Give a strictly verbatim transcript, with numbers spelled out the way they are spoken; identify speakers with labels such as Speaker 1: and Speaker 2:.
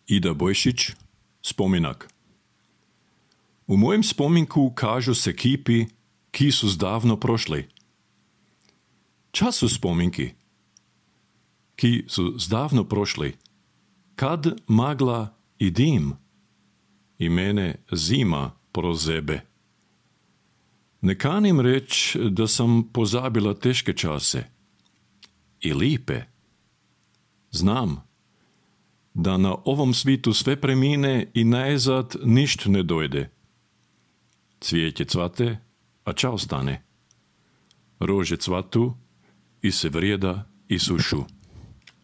Speaker 1: Ida Bojšić, spominak. U mojem spominku kažu se kipi, ki su zdavno prošli. Čas su spominki, ki su zdavno prošli, kad magla i dim i mene zima prozebe. Ne kanim reć da sam pozabila teške čase i lipe. Znam da na ovom svitu sve premine i najzad ništ ne dojde. Cvijeće cvate, a ča ostane? Rože cvatu i se vrijeda i sušu.